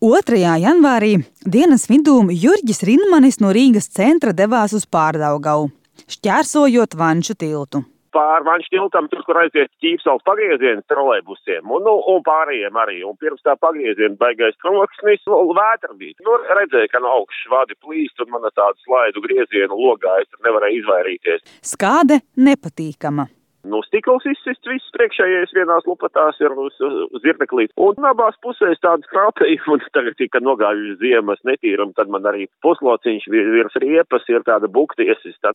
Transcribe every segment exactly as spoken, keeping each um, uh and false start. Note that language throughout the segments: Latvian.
otrajā janvārī dienas vidū Jurģis Rinmanis no Rīgas centra devās uz Pārdaugavu, šķērsojot Vanču tiltu. Pār Vanču tiltam, tur, kur aiziet Ķīpsalas pagrieziens trolejbusiem, un, nu, un pārējiem arī. Un pirms tā pagrieziena baigais troksnis, vētra bija. Nu, redzēju, ka no augšas vadi plīst, un man tādu slaidu griezienu logā es tur nevarēju izvairīties. Skāde nepatīkama. Nu, stikls izsists, viss priekšējais vienās lupatās ir uz, uz zirneklīt. Un abās pusēs tādas krāpēji, un tagad, kad nogājuši ziemas netīram, tad man arī puslociņš virs riepas ir tāda bukta iesista.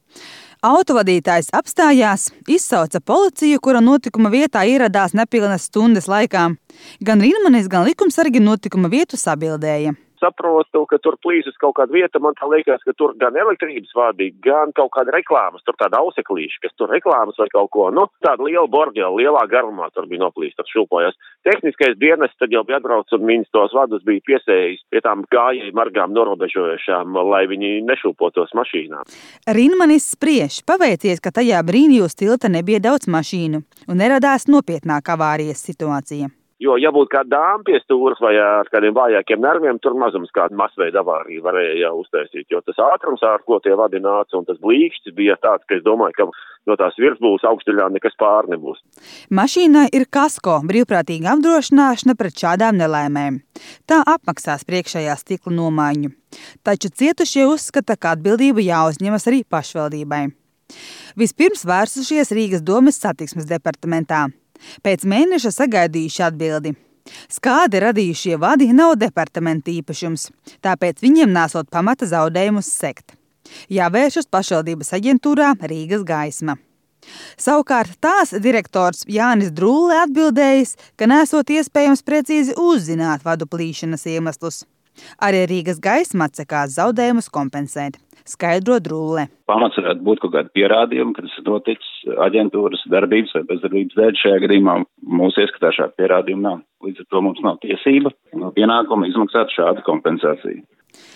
Autovadītājs apstājās, izsauca policiju, kura notikuma vietā ieradās nepilnas stundas laikā. Gan Rinmanis, gan likumsargi notikuma vietu sabildēja. Saprotu, ka tur plīsus kaut kāda vieta, man tā liekas, ka tur gan elektrības vadi, gan kaut kāda reklāmas, tur tāda auseklīša, kas tur reklāmas vai kaut ko, nu, tāda liela borģela, lielā garumā tur bija noplīst, tur šūpojās. Tehniskais dienas tad jau bija atbrauc un viņas tos vadus bija piesējis pie tām gājēju margām norobežojušām, lai viņi nešūpotos mašīnā. Rinmanis spriež, paveicies, ka tajā brīdī uz tilta nebija daudz mašīnu un neradās nopietnāka avārijas situācija. Jo, ja būtu kāda dāma pie stūras vai ar kādiem vājākiem nerviem, tur mazums kāda masveida avārija varēja jau uztaisīt. Jo tas ātrums, ar ko tie vadi nāca, un tas blīkšķis bija tāds, ka es domāju, ka no tās virsbūves augšdaļā nekas pār nebūs. Mašīnai ir kasko, brīvprātīga apdrošināšana pret šādām nelaimēm. Tā apmaksās priekšējā stikla nomaiņu. Taču cietušie uzskata, ka atbildība jāuzņemas arī pašvaldībai. Vispirms vērsušies Rīgas domes satiksmes departamentā. Pēc mēneša sagaidījuši atbildi. Skādi radījušie vadi nav departamenta īpašums, tāpēc viņiem nesot pamata zaudējumus sekt. Jāvēršas pašvaldības aģentūrā Rīgas gaisma. Savukārt tās direktors Jānis Drulle atbildējis, ka nesot iespējams precīzi uzzināt vadu plīšanas iemeslus. Arī Rīgas gaisma atsakās zaudējumus kompensēt, skaidro Drulle. Pamats varētu būt kaut kādi pierādījumi, ka tas ir noticis aģentūras darbības vai bezdarbības dēļ. Šajā gadījumā mūsu ieskatā šāda pierādījuma nav. Līdz ar to mums nav tiesība un pienākuma izmaksāt šādu kompensāciju.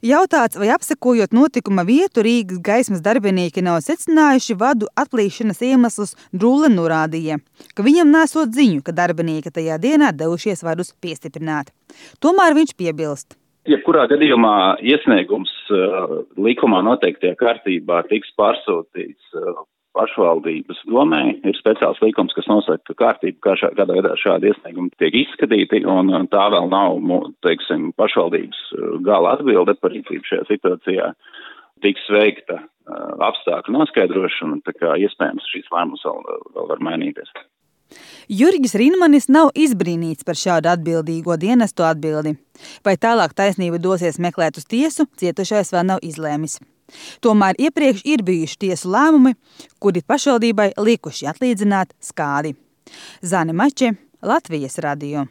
Jautāts, vai apsekojot notikuma vietu Rīgas gaismas darbinieki nav secinājuši vadu atplīšanas iemeslus, Drulle norādīja, ka viņam nesot ziņu, ka darbinieki tajā dienā devušies vadus piestiprināt. Tomēr viņš piebilst. Jebkurā gadījumā iesniegums uh, likumā noteiktajā kārtībā tiks pārsūtīts uh, pašvaldības domē. Ir speciāls likums, kas nosaka kārtību, kā šā, kādā veidā šādi iesniegumi tiek izskatīti, un tā vēl nav, teiksim, pašvaldības gala atbilde par rīcību šajā situācijā. Tiks veikta uh, apstākļu noskaidrošana, tā kā iespējams šīs lēmums vēl, vēl var mainīties. Jurģis Rinmanis nav izbrīnīts par šādu atbildīgo dienestu atbildi. Vai tālāk taisnība dosies meklēt uz tiesu, cietušais vēl nav izlēmis. Tomēr iepriekš ir bijuši tiesu lēmumi, kuri pašvaldībai likuši atlīdzināt skādi. Zane Mače, Latvijas radio.